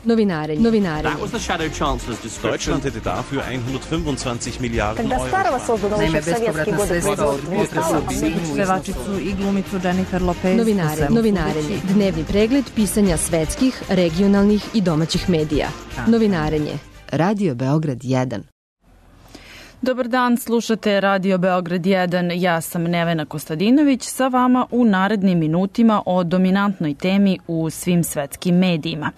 Novinare. That was the Shadow Chancellor's description. Deutschland hätte dafür 125 Milijarden Когда Старого создано еще в советские годы Pevačicu i glumicu Jennifer Lopez. Novinarenje. Dnevni pregled pisanja svetskih, regionalnih i domaćih medija. Novinarenje. Radio Beograd 1. Dobar dan, slušate Radio Beograd 1. Ja sam Nevena Kostadinović sa vama u narednim minutima o dominantnoj temi u svim svetskim medijima.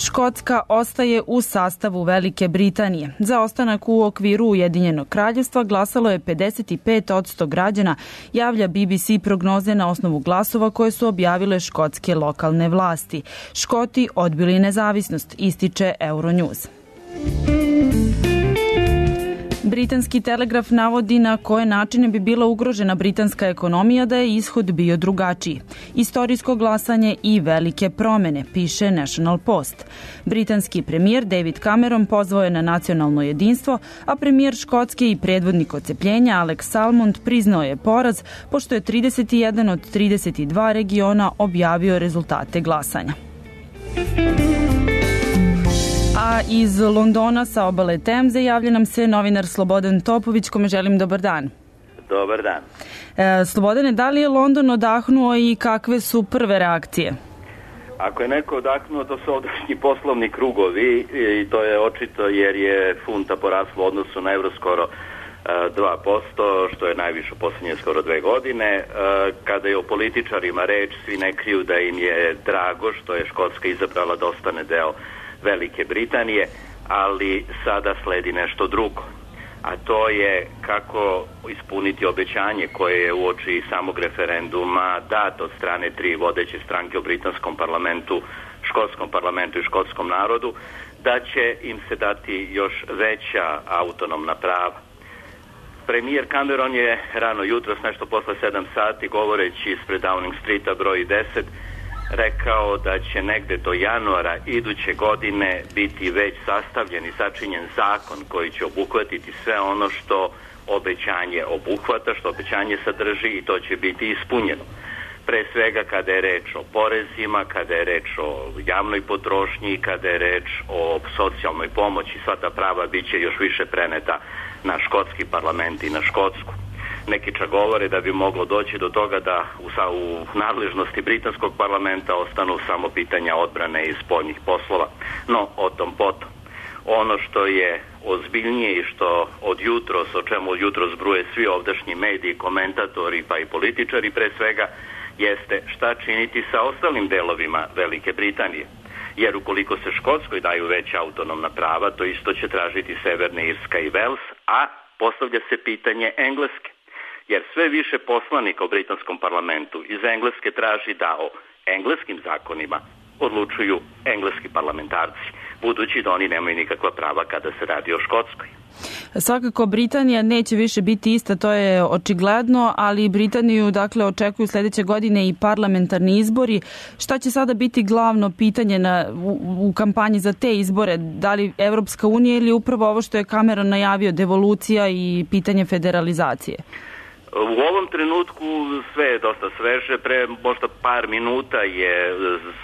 Škotska ostaje u sastavu Velike Britanije. Za ostanak u okviru Ujedinjenog kraljevstva glasalo je 55% građana, javlja BBC prognoze na osnovu glasova koje su objavile škotske lokalne vlasti. Škoti odbili nezavisnost, ističe Euronews. Britanski Telegraf navodi na koje načine bi bila ugrožena britanska ekonomija da je ishod bio drugačiji. Istorijsko glasanje i velike promene, piše National Post. Britanski premijer David Cameron pozvao je na nacionalno jedinstvo, a premijer Škotske i predvodnik odcepljenja Alex Salmond priznao je poraz, pošto je 31 od 32 regiona objavio rezultate glasanja. A iz Londona sa obale Temze javlja nam se novinar Slobodan Topović, kome želim dobar dan. Dobar dan. Slobodane, da li je London odahnuo i kakve su prve reakcije? Ako je neko odahnuo, to su ovdašnji poslovni krugovi i to je očito jer je funta porasla u odnosu na evro skoro 2%, što je najviše u posljednje skoro 2 godine. Kada je o političarima reč, svi ne kriju da im je drago što je Škotska izabrala da ostane deo Velike Britanije, ali sada sledi nešto drugo. A to je kako ispuniti obećanje koje je uoči samog referenduma dato od strane 3 vodeće stranke u britanskom parlamentu, škotskom parlamentu i škotskom narodu, da će im se dati još veća autonomna prava. Premijer Cameron je rano jutros, nešto posle 7 sati, govoreći ispred Downing Streeta broj 10, rekao da će negde do januara iduće godine biti već sastavljen i sačinjen zakon koji će obuhvatiti sve ono što obećanje obuhvata, što obećanje sadrži, i to će biti ispunjeno. Pre svega kada je reč o porezima, kada je reč o javnoj potrošnji, kada je reč o socijalnoj pomoći, sva ta prava bit će još više preneta na škotski parlament i na Škotsku. Neki čak govore da bi moglo doći do toga da u nadležnosti britanskog parlamenta ostanu samo pitanja odbrane i spoljnih poslova. No, o tom potom. Ono što je ozbiljnije i što od jutros, o čemu od jutros bruje svi ovdašnji mediji, komentatori pa i političari pre svega, jeste šta činiti sa ostalim delovima Velike Britanije. Jer ukoliko se Škotskoj daju veća autonomna prava, to isto će tražiti Severna Irska i Vels, a postavlja se pitanje Engleske. Jer sve više poslanika u britanskom parlamentu iz Engleske traži da o engleskim zakonima odlučuju engleski parlamentarci, budući da oni nemaju nikakva prava kada se radi o Škotskoj. Svakako Britanija neće više biti ista, to je očigledno, ali Britaniju očekuju sledeće godine i parlamentarni izbori. Šta će sada biti glavno pitanje u kampanji za te izbore? Da li Evropska unija ili upravo ovo što je Cameron najavio, devolucija i pitanje federalizacije? U ovom trenutku sve je dosta sveže. Pre možda par minuta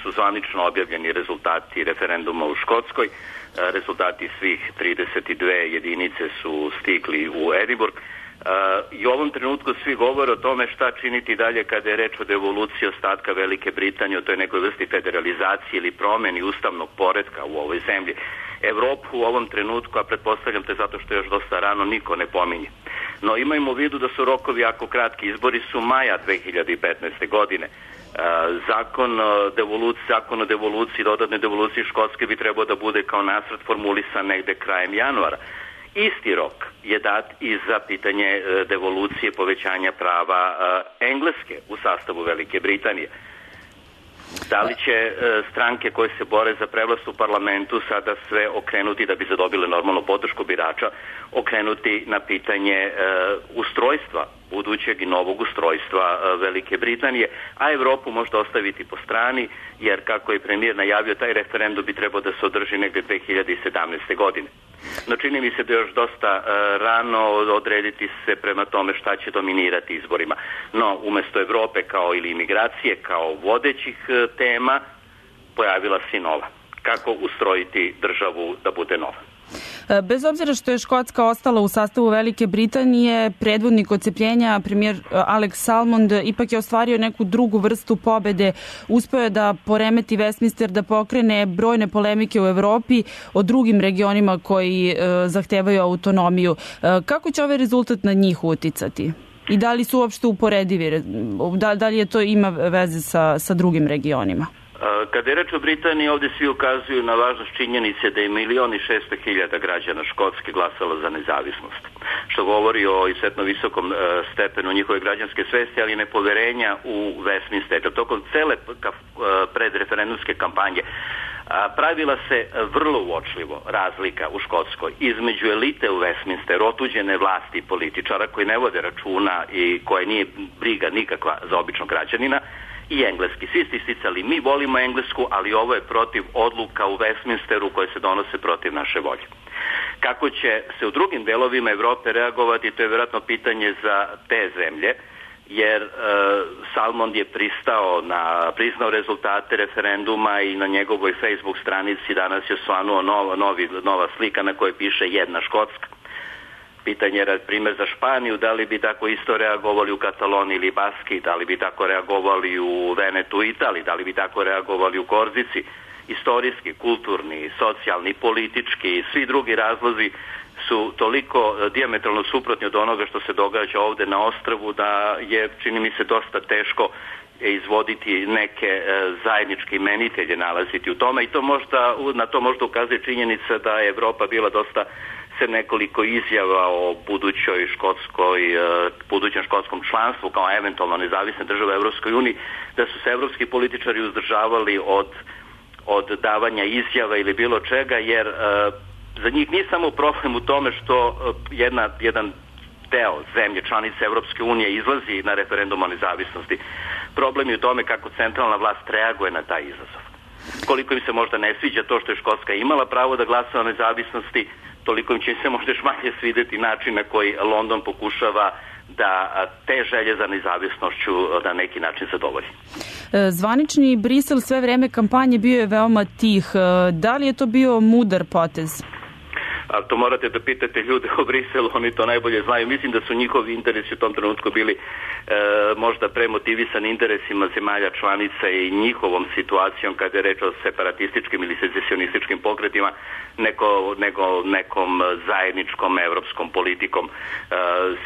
su zvanično objavljeni rezultati referenduma u Škotskoj. Rezultati svih 32 jedinice su stigli u Edinburgh. I u ovom trenutku svi govore o tome šta činiti dalje kada je reč o devoluciji ostatka Velike Britanije, o toj nekoj vrsti federalizacije ili promeni ustavnog poretka u ovoj zemlji. Evropu u ovom trenutku, a pretpostavljam te zato što je još dosta rano, niko ne pominje. No imajmo u vidu da su rokovi jako kratki. Izbori su maja 2015. godine. Zakon o devoluciji, dodatne devolucije Škotske bi trebao da bude kao nacrt formulisan negde krajem januara. Isti rok je dat i za pitanje devolucije, povećanja prava Engleske u sastavu Velike Britanije. Da li će stranke koje se bore za prevlast u parlamentu sada sve okrenuti, da bi zadobile normalnu podršku birača, okrenuti na pitanje ustrojstva, budućeg i novog ustrojstva Velike Britanije, a Evropu možda ostaviti po strani, jer kako je premijer najavio, taj referendum bi trebao da se održi negde 2017. godine. No čini mi se da je još dosta rano odrediti se prema tome šta će dominirati izborima. No, umesto Evrope ili imigracije kao vodećih tema, pojavila se i nova. Kako ustrojiti državu da bude nova. Bez obzira što je Škotska ostala u sastavu Velike Britanije, predvodnik odcepljenja, premijer Alex Salmond, ipak je ostvario neku drugu vrstu pobede. Uspeo je da poremeti Westminster, da pokrene brojne polemike u Evropi o drugim regionima koji zahtevaju autonomiju. Kako će ovaj rezultat na njih uticati? I da li su uopšte uporedivi? Da li je to ima veze sa drugim regionima? Kada je reč o Britaniji, ovdje svi ukazuju na važnost činjenice da je 1.600.000 građana Škotske glasalo za nezavisnost, što govori o izuzetno visokom stepenu njihove građanske svesti, ali i nepoverenja u Westminster. Tokom cele predreferendumske kampanje pravila se vrlo uočljivo razlika u Škotskoj između elite u Westminsteru, otuđene vlasti i političara koji ne vode računa i koje nije briga nikakva za običnog građanina, i engleski. Svi ste isticali, mi volimo Englesku, ali ovo je protiv odluka u Westminsteru koje se donose protiv naše volje. Kako će se u drugim delovima Evrope reagovati, to je vjerojatno pitanje za te zemlje, jer Salmond je priznao rezultate referenduma i na njegovoj Facebook stranici danas je osvanuo nova slika na kojoj piše jedna Škotska. Pitanje je primjer za Španiju, da li bi tako isto reagovali u Kataloniji ili Baski, da li bi tako reagovali u Venetu, Italiji, da li bi tako reagovali u Korzici. Istorijski, kulturni, socijalni, politički i svi drugi razlozi su toliko dijametralno suprotni od onoga što se događa ovdje na ostrvu da je, čini mi se, dosta teško izvoditi neke zajedničke imenitelje, nalaziti u tome i na to možda ukazuje činjenica da je Evropa bila dosta nekoliko izjava o budućem škotskom članstvu kao eventualno nezavisne države u Evropskoj uniji, da su se evropski političari uzdržavali od davanja izjava ili bilo čega, jer za njih nije samo problem u tome što jedan deo zemlje članice Evropske unije izlazi na referendum o nezavisnosti. Problem je u tome kako centralna vlast reaguje na taj izazov. Koliko im se možda ne sviđa to što je Škotska imala pravo da glasa o nezavisnosti, toliko im će se možda još manje svidjeti način na koji London pokušava da te želje za nezavisnošću na neki način zadovolji. Zvanični Brisel sve vreme kampanje bio je veoma tih. Da li je to bio mudar potez? Ali to morate da pitate ljude u Briselu, oni to najbolje znaju. Mislim da su njihovi interesi u tom trenutku bili možda premotivisani interesima zemalja članica i njihovom situacijom kada je reč o separatističkim ili secesionističkim pokretima, nego nekom zajedničkom evropskom politikom.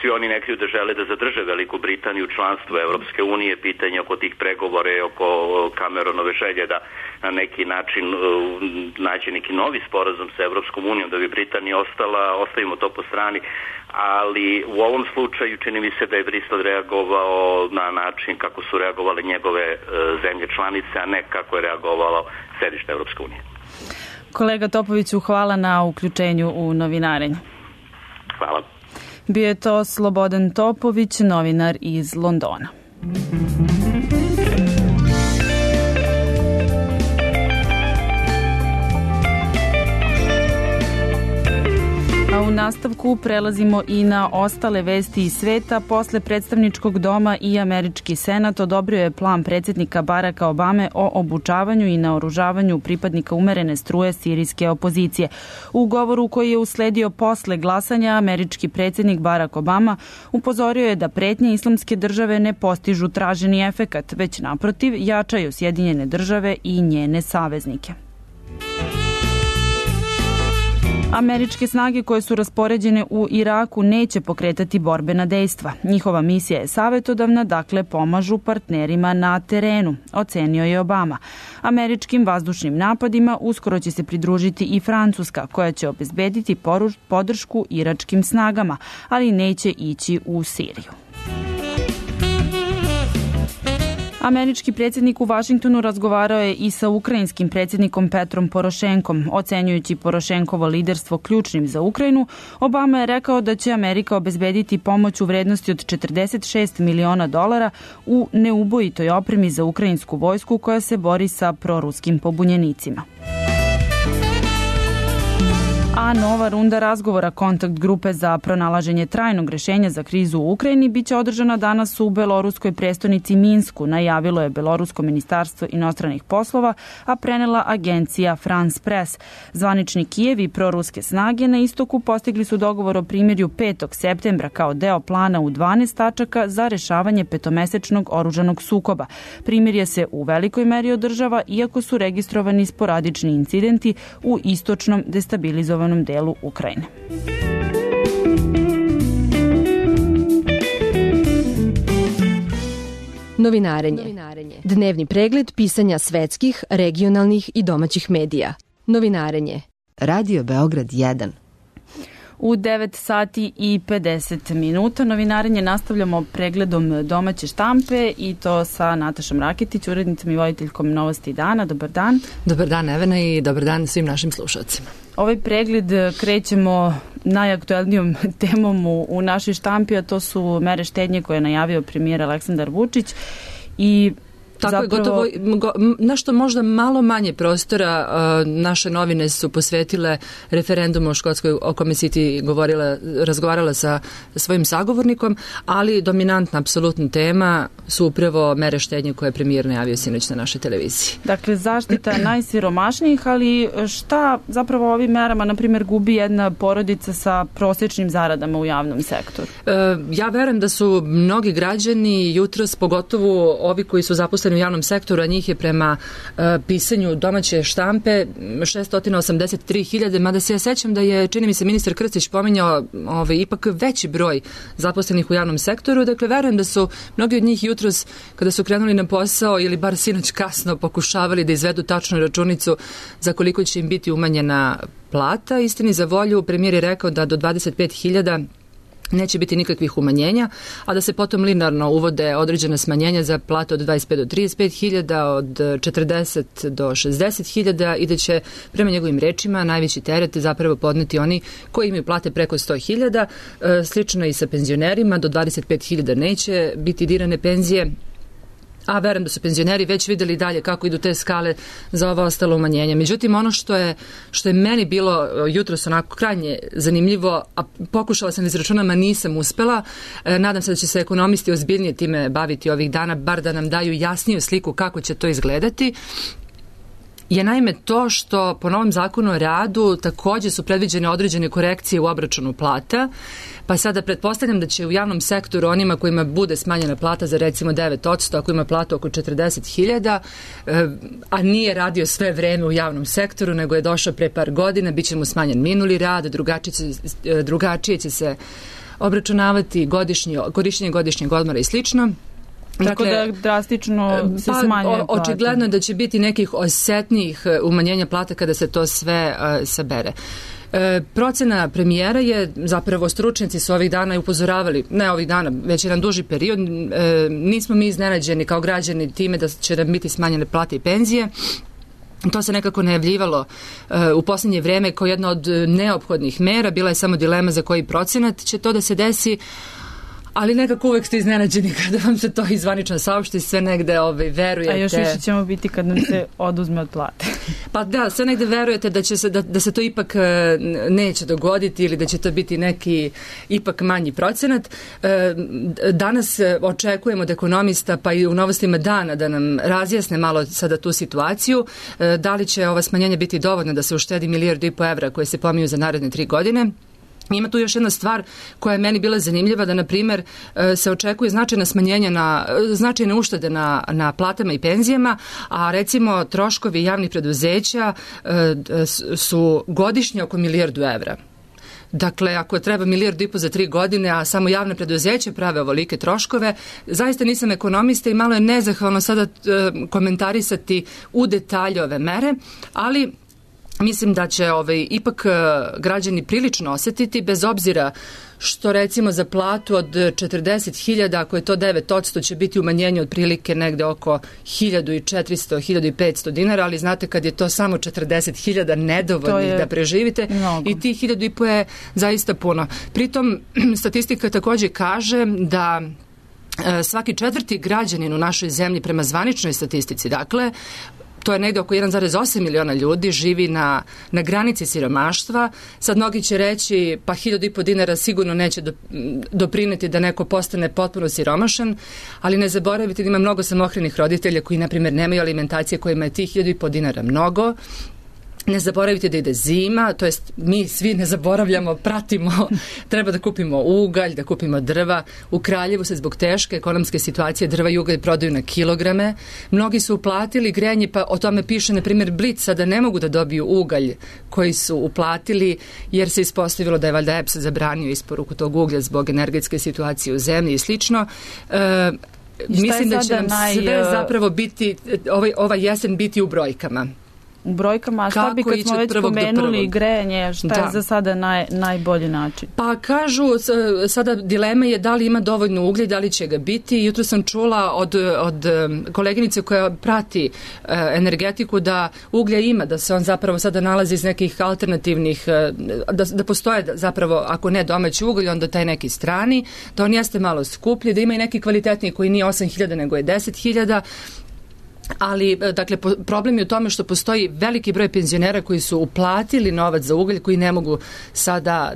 Svi oni neki da žele da zadrže Veliku Britaniju u članstvu Evropske unije, pitanje oko tih pregovora, oko Cameronove želje da na neki način nađe neki novi sporazum sa Evropskom unijom da bi Britanija ostala, ostavimo to po strani, ali u ovom slučaju čini mi se da je Bristol reagovao na način kako su reagovale njegove zemlje članice, a ne kako je reagovalo sedište Evropske unije. Kolega Topoviću, hvala na uključenju u novinarenje. Hvala. Bio je to Slobodan Topović, novinar iz Londona. A u nastavku prelazimo i na ostale vesti iz sveta. Posle predstavničkog doma i američki senat odobrio je plan predsjednika Baracka Obame o obučavanju i naoružavanju pripadnika umerene struje sirijske opozicije. U govoru koji je usledio posle glasanja, američki predsjednik Barack Obama upozorio je da pretnje Islamske države ne postižu traženi efekat, već naprotiv jačaju Sjedinjene države i njene saveznike. Američke snage koje su raspoređene u Iraku neće pokretati borbena dejstva. Njihova misija je savjetodavna, dakle pomažu partnerima na terenu, ocenio je Obama. Američkim vazdušnim napadima uskoro će se pridružiti i Francuska, koja će obezbediti podršku iračkim snagama, ali neće ići u Siriju. Američki predsjednik u Vašingtonu razgovarao je i sa ukrajinskim predsjednikom Petrom Porošenkom. Ocenjujući Porošenkovo liderstvo ključnim za Ukrajinu, Obama je rekao da će Amerika obezbediti pomoć u vrednosti od $46 miliona u neubojitoj opremi za ukrajinsku vojsku koja se bori sa proruskim pobunjenicima. A nova runda razgovora kontakt grupe za pronalaženje trajnog rešenja za krizu u Ukrajini biće održana danas u beloruskoj prestonici Minsku, najavilo je Belorusko ministarstvo inostranih poslova, a prenela agencija France Press. Zvanični Kijev i proruske snage na istoku postigli su dogovor o primirju 5. septembra kao deo plana u 12 tačaka za rešavanje petomesečnog oružanog sukoba. Primirje se u velikoj meri održava, iako su registrovani sporadični incidenti u istočnom destabilizovanom delu Ukrajine. Novinarenje. Dnevni pregled pisanja svetskih, regionalnih i domaćih medija. Novinarenje. Radio Beograd 1. U 9 sati i 50 minuta novinarenje nastavljamo pregledom domaće štampe i to sa Natašom Raketić, urednicom i voditeljkom Novosti dana. Dobar dan. Dobar dan Evena i dobar dan svim našim slušalcima. Ovaj pregled krećemo najaktuelnijom temom u našoj štampi, a to su mere štednje koje je najavio premijer Aleksandar Vučić i tako je, gotovo nešto možda malo manje prostora naše novine su posvetile referendumu o Škotskoj, o kome si ti razgovarala sa svojim sagovornikom, ali dominantna apsolutna tema su upravo mere štednje koje je premijer najavio sinoć na našoj televiziji. Dakle, zaštita najsiromašnijih, ali šta zapravo ovim merama, na primjer, gubi jedna porodica sa prosječnim zaradama u javnom sektoru? Ja verujem da su mnogi građani jutros, pogotovo ovi koji su zaposleni u javnom sektoru, a njih je prema pisanju domaće štampe 683.000, mada se ja sećam da je, čini mi se, ministar Krstić pominjao ipak veći broj zaposlenih u javnom sektoru. Dakle, verujem da su mnogi od njih jutros, kada su krenuli na posao ili bar sinoć kasno, pokušavali da izvedu tačnu računicu za koliko će im biti umanjena plata. Istini za volju, premijer je rekao da do 25.000 neće biti nikakvih umanjenja, a da se potom linearno uvode određene smanjenja za plate od 25 do 35.000, od 40 do 60.000 i da će, prema njegovim rečima, najveći teret zapravo podneti oni koji imaju plate preko 100.000. Slično i sa penzionerima, do 25.000 neće biti dirane penzije, a verujem da su penzioneri već videli dalje kako idu te skale za ova ostala umanjenja. Međutim, ono što je meni bilo jutros onako krajnje zanimljivo, a pokušala sam da izračunam, a nisam uspela, nadam se da će se ekonomisti ozbiljnije time baviti ovih dana, bar da nam daju jasniju sliku kako će to izgledati, je naime to što po novom zakonu o radu takođe su predviđene određene korekcije u obračunu plata, pa sada pretpostavljam da će u javnom sektoru onima kojima bude smanjena plata za recimo 9%, ako ima platu oko 40.000, a nije radio sve vreme u javnom sektoru, nego je došao pre par godina, bit će mu smanjen minuli rad, drugačije će se obračunavati korišćenje godišnjeg odmora i slično. Tako da drastično se smanjuje plata. Očigledno je da će biti nekih osetnijih umanjenja plata kada se to sve sabere. Procena premijera je, zapravo stručnjaci su ovih dana i upozoravali, ne ovih dana, već jedan duži period, nismo mi iznenađeni kao građani time da će nam biti smanjene plate i penzije. To se nekako najavljivalo u posljednje vreme kao jedna od neophodnih mera, bila je samo dilema za koji procenat će to da se desi, ali nekako uvek ste iznenađeni kada vam se to izvanično saopšti, sve negde verujete. A još više ćemo biti kad nam se oduzme od plate. Pa da, sve negde verujete da se to ipak neće dogoditi ili da će to biti neki ipak manji procenat. Danas očekujemo od ekonomista, pa i u Novostima dana, da nam razjasne malo sada tu situaciju, da li će ova smanjenja biti dovoljna da se uštedi 1,5 milijardu evra koje se pominju za naredne 3 godine. Ima tu još jedna stvar koja je meni bila zanimljiva, da na primjer se očekuje značajne uštede na platama i penzijama, a recimo troškovi javnih preduzeća su godišnje oko 1 milijardu evra. Dakle, ako treba 1,5 milijardu za 3 godine, a samo javne preduzeće prave ovolike troškove, zaista nisam ekonomista i malo je nezahvalno sada komentarisati u detalje ove mere, ali mislim da će ipak građani prilično osetiti, bez obzira što recimo za platu od 40.000, ako je to 9%, će biti umanjenje otprilike negde oko 1.400-1.500 dinara, ali znate kad je to samo 40.000 nedovoljnih da preživite mnogo. I ti 1.500 je zaista puno. Pritom statistika takođe kaže da svaki 4. građanin u našoj zemlji prema zvaničnoj statistici, dakle, to je negde oko 1,8 miliona ljudi, živi na granici siromaštva. Sad mnogi će reći pa 1.500 dinara sigurno neće doprineti da neko postane potpuno siromašan, ali ne zaboravite da ima mnogo samohranih roditelja koji, na primjer, nemaju alimentacije, kojima je tih 1.500 dinara mnogo. Ne zaboravite da ide zima, to jest mi svi ne zaboravljamo, pratimo, treba da kupimo ugalj, da kupimo drva. U Kraljevu se zbog teške ekonomske situacije drva i ugalj prodaju na kilograme. Mnogi su uplatili grejanje, pa o tome piše, na primjer, Blic, sada ne mogu da dobiju ugalj koji su uplatili, jer se ispostavilo da je valjda EPS zabranio isporuku tog uglja zbog energetske situacije u zemlji i slično. Mislim da će nam sve zapravo biti, ova jesen biti u brojkama. U brojkama, a šta bi kad smo već spomenuli grejanje, šta je za sada najbolji način? Pa kažu, sada dilema je da li ima dovoljno uglja, da li će ga biti. Jutro sam čula od koleginice koja prati energetiku da uglja ima, da se on zapravo sada nalazi iz nekih alternativnih, da postoje zapravo, ako ne domaći ugalj, onda taj neki strani, da on jeste malo skuplji, da ima i neki kvalitetniji koji nije 8.000 nego je 10.000. Ali, dakle, problem je u tome što postoji veliki broj penzionera koji su uplatili novac za ugalj, koji ne mogu sada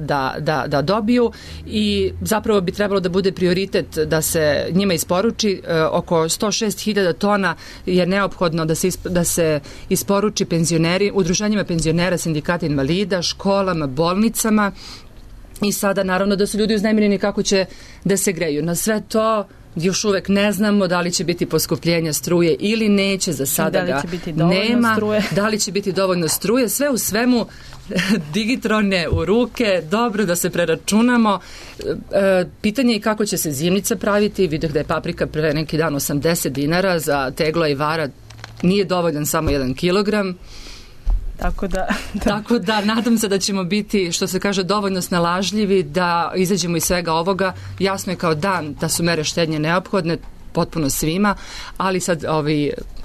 da dobiju, i zapravo bi trebalo da bude prioritet da se njima isporuči. Oko 106.000 tona je neophodno da se isporuči penzioneri, udruženjima penzionera, sindikata invalida, školama, bolnicama, i sada naravno da su ljudi uznemireni kako će da se greju. Na sve to još uvek ne znamo da li će biti poskupljenja struje ili neće, za sada ga nema, da li će biti dovoljno struje. Sve u svemu, digitrone u ruke, dobro da se preračunamo. Pitanje je kako će se zimnica praviti. Vidio da je paprika pre neki dan 80 dinara, za teglo i vara nije dovoljan samo 1 kilogram. Tako da nadam se da ćemo biti, što se kaže, dovoljno snalažljivi da izađemo iz svega ovoga. Jasno je kao dan da su mere štednje neophodne potpuno svima, ali sad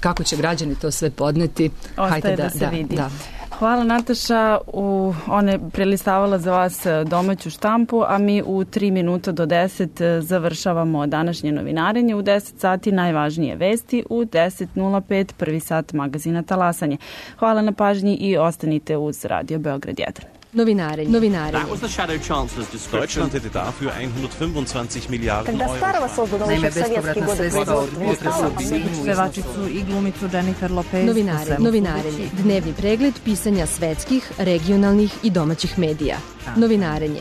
kako će građani to sve podneti, ostaje da se vidi. Hvala, Nataša. Ona je prelistavala za vas domaću štampu, a mi u 3 minuta do 10 završavamo današnje novinarenje. U 10 sati najvažnije vesti, u 10.05 prvi sat magazina Talasanje. Hvala na pažnji i ostanite uz Radio Beograd 1. Novinarenje. That was the Shadow Chancellor's description. Deutschland hätte dafür 125 Milliarden Когда Euro. Старого создано еще в советские годы. Pevačicu i glumicu Jennifer Lopez. Novinarenje. Dnevni pregled pisanja svetskih, regionalnih i domaćih medija. Novinarenje.